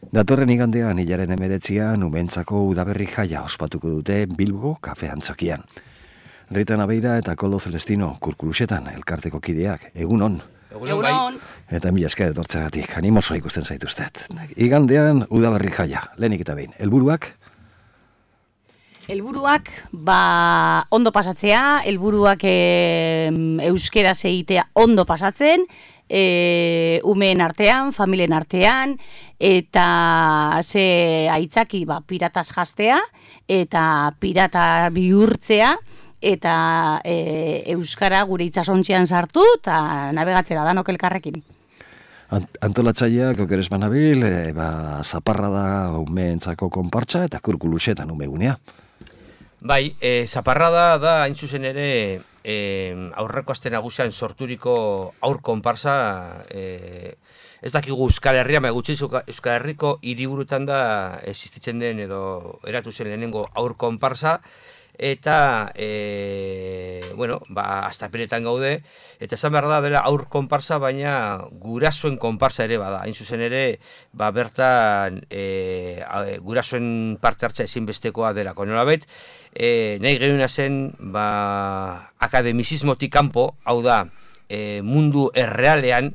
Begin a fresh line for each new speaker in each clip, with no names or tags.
Datorren igandean, hilaren 19an, umentzako udaberri jaia ospatuko dute Bilbo kafe antzokian. Rita Nabeira eta Koldo Celestino kurkulusetan elkarteko kideak, egunon.
Egunon.
Eta mila esker etortzeagatik, animoso ikusten zaituztet. Igandean udaberri jaia, lehenik eta behin. Helburuak?
Helburuak, ondo pasatzea, helburuak euskeraz egitea ondo pasatzen, umeen artean, familien artean, eta ze aitzaki pirataz jastea, eta pirata bihurtzea, eta euskara gure itsasontzian sartu, eta nabegatzera danok elkarrekin.
Antolatzaileak okeres banabil, zaparra da umeentzako konpartsa eta kurkulusetan umegunea.
Bai, zaparrada da hain zuzen ere aurreko aste nagusian sorturiko aur konparsa, ez dakigu Euskal Herria, gutxi Euskal Herriko hiriburutan da existitzen den edo eratu zen lehenengo aur konparsa, eta astapenetan gaude, eta esan behar da dela aur konparsa, baina gurasoen konparsa ere bada. Hain zuzen ere, bertan gurasoen parte hartza ezinbestekoa delako. Nolabait, nahi gehiuna zen akademizismotik kanpo, hau da, mundu errealean,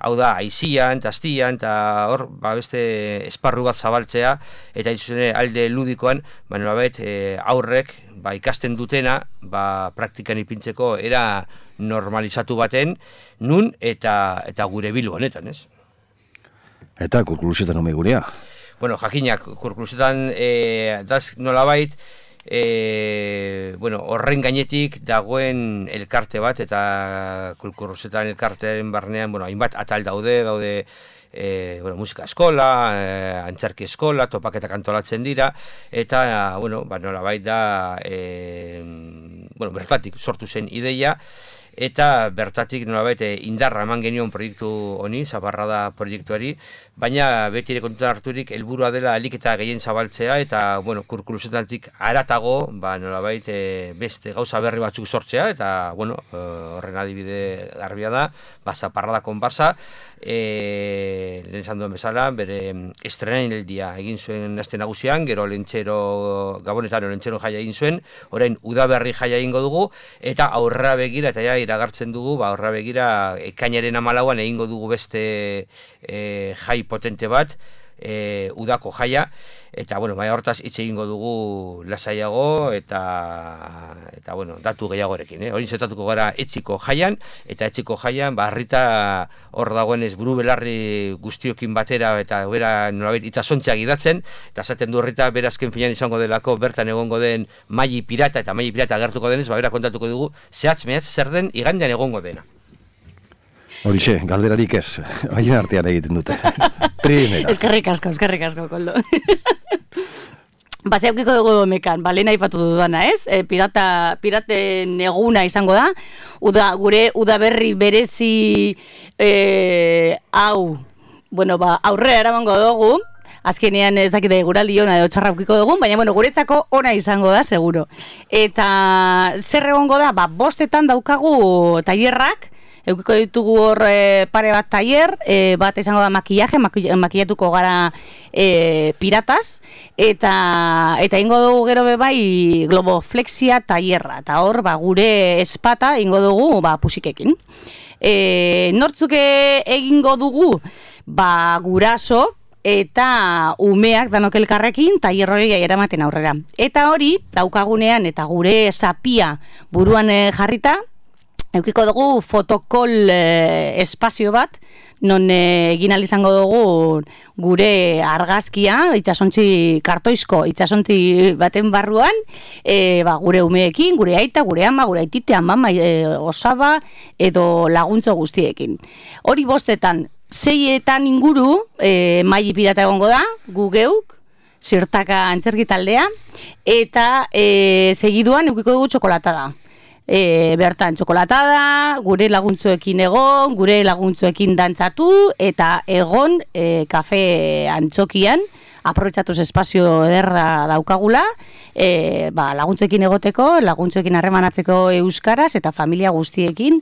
hau da, aizian, tastian, eta hor, beste esparru bat zabaltzea, eta hain zuzen ere alde ludikoan, nolabait, aurrek, ikasten dutena, praktikan ipintzeko era normalizatu baten, nun eta gure Bilbo honetan, ez?
Eta kurkulusetan umegunea?
Bueno, jakinak, kurkulusetan nolabait, horren gainetik dagoen elkarte bat, eta kurkulusetan elkartearen barnean, hainbat atal daude musika eskola, antzerki eskola, topaketak antolatzen dira, eta, nolabait da, bertatik sortu zen ideia, eta bertatik nolabait indarra eman genion proiektu honi, zaparrada proiektuari, baina beti ere kontutan harturik helburua dela ahalik eta gehien zabaltzea, eta kurkulusetatik haratago nolabait beste gauza berri batzuk sortzea, eta horren adibide garbia da, zaparrada konparsa, lehen esan duen bezala, bere estrenaldia egin zuen aste nagusian, gero Gabonetan Lentzero jaia egin zuen, orain udaberri jaia egingo dugu, eta aurrera begira, eta ja iragartzen dugu, aurrera begira ekainaren 14an egingo dugu beste jai potente bat, udako jaia, eta hortaz hitz egingo dugu lasaiago eta datu gehiagorekin. Horin zetatuko gara etxiko jaian, eta etxiko jaian Rita hor dagoenez buru belarri guztiokin batera eta bera nolabait itsasontziak idatzen, eta esaten du Rita berazken finan izango delako bertan egongo den Maili Pirata, eta Maili Pirata agertuko denez, bera kontatuko dugu zehatz mehatz zer den igandean egongo dena.
Horixe, galderarik ez, haien artean egiten dute. Primera.
Eskerrik asko, Koldo. Zeukiko dugu mekan, lehen aipatu dudana, ez? Piraten eguna izango da, gure udaberri berezi hau, aurrera eramango dugu, azkenean ez dakite guraldi ona edo txarra ukiko dugun, baina guretzako ona izango da, seguro. Eta zer egongo da, 5etan daukagu tailerrak, eukiko ditugu hor pare bat tailer, bat izango da makillaje, makillatuko gara pirataz, eta ingo dugu gero bebai globoflexia tailerra, eta hor gure espata ingo dugu pusikekin. Nortzuk egingo dugu guraso, eta umeak danok elkarrekin tailer hori eramaten aurrera. Eta hori daukagunean eta gure zapia buruan jarrita, eukiko dugu fotokol espazio bat, non egin izango dugu gure argazkia, kartoizko itsasontzi baten barruan, gure umeekin, gure aita, gure ama, gure aitite, amama, osaba, edo laguntzo guztiekin. Hori 5etan, 6etan inguru, Maili Pirata egongo da, gu geuk, zirtaka antzerki taldea, eta segiduan eukiko dugu txokolatada. Bertan txokolatada, gure laguntzuekin egon, gure laguntzuekin dantzatu, eta egon kafe antzokian, aprobetxatuz espazio ederra daukagula, laguntzuekin egoteko, laguntzuekin harremanatzeko euskaraz, eta familia guztiekin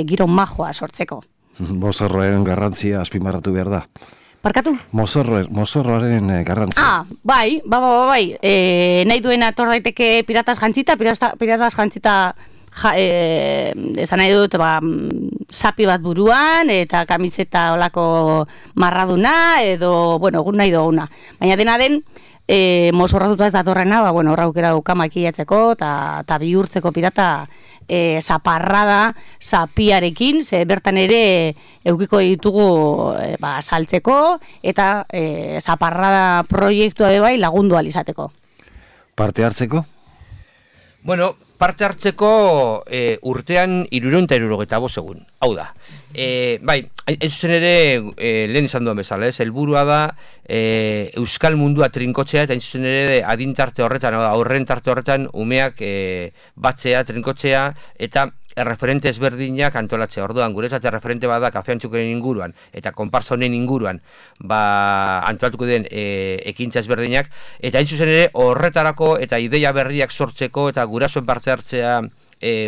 giro majoa sortzeko.
Bozarroen garrantzia azpimarratu behar da.
Parkatu?
Mozorroaren garrantzia.
Bai. Nahi duena etor daiteke piratas jantzita, esan nahi dut, sapi bat buruan, eta kamiseta olako marraduna, edo, egun nahi duguna. Baina dena den, mozorratuta ez datorrena, horra aukera duka makillatzeko, eta bihurtzeko pirata zaparrada, sapiarekin, ze bertan ere eukiko ditugu saltzeko, eta zaparrada proiektua bai lagundu alizateko.
Parte hartzeko?
Bueno, parte hartzeko urtean 375 egun. Hau da. Bai, hain zuzen ere, lehen izan duen bezala, helburua da euskal mundua trinkotzea, eta hain zuzen ere adintarte horretan, aurren tarte horretan, umeak batzea, trinkotzea, eta erreferente ezberdinak antolatzea. Orduan, guretzat erreferente bada kafeantxuken inguruan, eta konparsa honen inguruan, antolatuko den ekintza ezberdinak, eta hain zuzen ere, horretarako eta ideia berriak sortzeko, eta gurasoen parte hartzea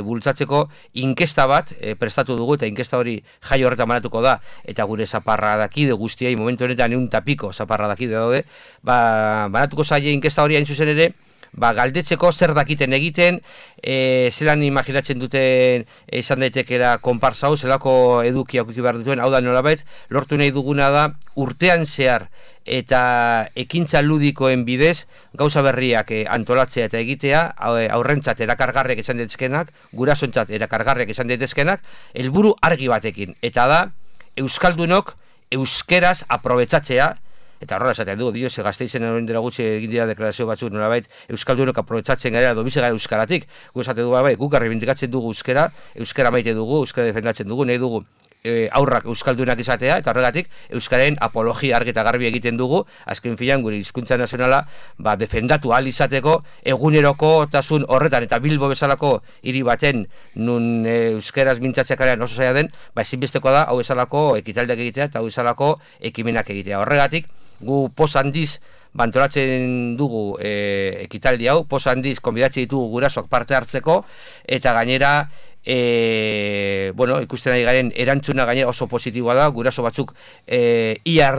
bultzatzeko inkesta bat prestatu dugu, eta inkesta hori jai horretan banatuko da, eta gure zaparradakide guztiei momentu honetan 100 zaparradakide daude, banatuko zaie inkesta hori hain zuzen ere, galdetzeko zer dakiten egiten, zelan imaginatzen duten izan daitekera konparsa hau, zelako edukia aukiki behar dituen, hau da nolabait, lortu nahi duguna da urtean zehar eta ekintza ludikoen bidez gauza berriak antolatzea eta egitea, aurrentzat erakargarriak izan daitezkenak, gurasoentzat erakargarriak izan daitezkenak, helburu argi batekin, eta da euskaldunok euskeraz aprobetxatzea. Eta horrela esaten dugu, ze Gasteizen horrein dela gutxi egin dira deklarazio batzuk nolabait euskaldunok aprobetxatzen gara, dobize gara euskaratik. Gu esaten dugu, guk errebindikatzen dugu euskara maite dugu, euskara defendatzen dugu, nahi dugu aurrak euskaldunak izatea, eta horregatik euskararen apologia argi eta garbi egiten dugu, azken filan gure hizkuntza nazionala defendatu ahal izateko egunerokotasun horretan, eta Bilbo bezalako hiri baten nun euskaraz mintzatzeak alean oso zaila den, ezinbesteko da hau bezalako ekitaldeak egitea eta hau bezalako ekimenak egitea. Horregatik, gu poz handiz bantolatzen dugu ekitaldi hau, poz handiz konbidatzen ditugu gurasoak parte hartzeko, eta gainera ikusten ari garen erantzuna gainera oso positiboa da, guraso batzuk ia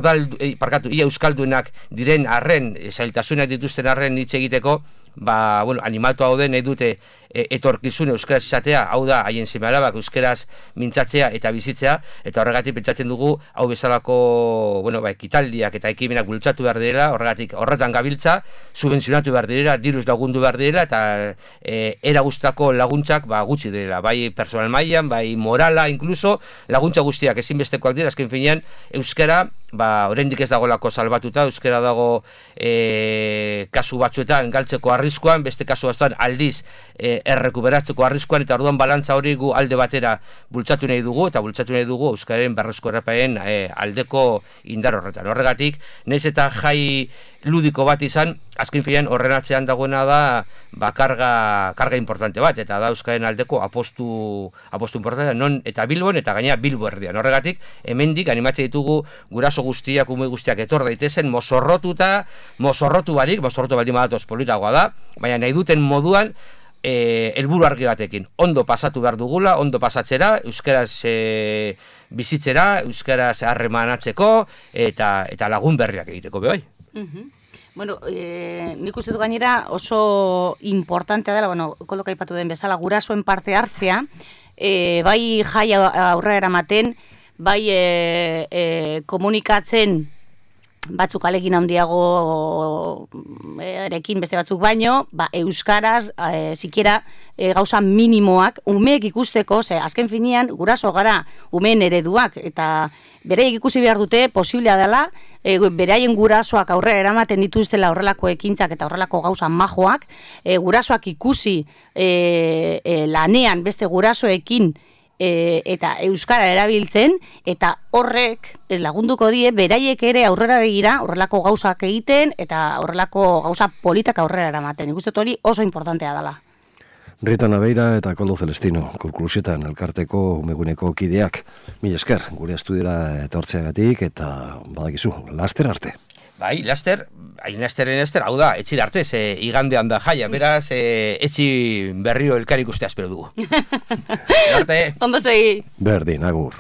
euskaldunak diren arren, zailtasunak dituzten arren hitz egiteko, animatu hau den nahi dute etorkizun euskaraz izatea, hau da haien seme-alabak euskaraz mintzatzea eta bizitzea, eta horregatik pentsatzen dugu hau bezalako ekitaldiak eta ekimenak bultzatu behar direla, horretan gabiltza, subentzionatu behar direla, diruz lagundu behar direla, eta era guztako laguntzak gutxi direla, bai personal mailan, bai morala, inkluso laguntza guztiak ezinbestekoak dira, azken finean euskara oraindik ez dagolako salbatuta, euskara dago kasu batzuetan galtzeko arriskuan, beste kasu batzuetan aldiz errekuperatzeko arriskuan, eta orduan balantza hori gu alde batera bultzatu nahi dugu, eta bultzatu nahi dugu euskararen berreskurapenen aldeko indar horretan. Horregatik, nahiz eta jai ludiko bat izan, azken finean horren atzean dagoena da karga importante bat, eta da euskaren aldeko apostu importantea, non eta Bilbon eta gainera Bilbo erdian. Horregatik, hemendik animatzen ditugu guraso guztiak, ume guztiak etor daitezen, mozorrotu baldin badatoz politagoa da, baina nahi duten moduan helburu argi batekin. Ondo pasatu behar dugula, ondo pasatzera, euskaraz bizitzera, euskaraz harremanatzeko, eta lagun berriak egiteko, bai.
Nik uste du gainera oso importantea dela, Kolok aipatu den bezala, gurasoen parte hartzea, bai jai aurrera eramaten, bai komunikatzen batzuk alekin handiago erekin beste batzuk baino, euskaraz, sikiera gauza minimoak, umeek ikusteko, azken finean, guraso gara umeen ereduak, eta bereiek ikusi behar dute, posiblea dela, beraien gurasoak aurrera eramaten dituztela horrelako ekintzak eta horrelako gauza majoak, gurasoak ikusi lanean beste gurasoekin eta euskara erabiltzen, eta horrek lagunduko die beraiek ere aurrera begira horrelako gauzak egiten eta horrelako gauza politak aurrera eramaten. Ikusten hori oso importantea dela.
Rita Naveira eta Koldo Celestino, Kurkulusetan elkarteko umeguneko kideak. Mila esker, gure estudiora etortzeagatik eta badakizu, laster arte.
Bai, laster, hau da, etxir arte, igandean da jaia, beraz, etxi berrio elkar ikustea espero dugu. Arte.
Ondo segi.
Berdin, agur.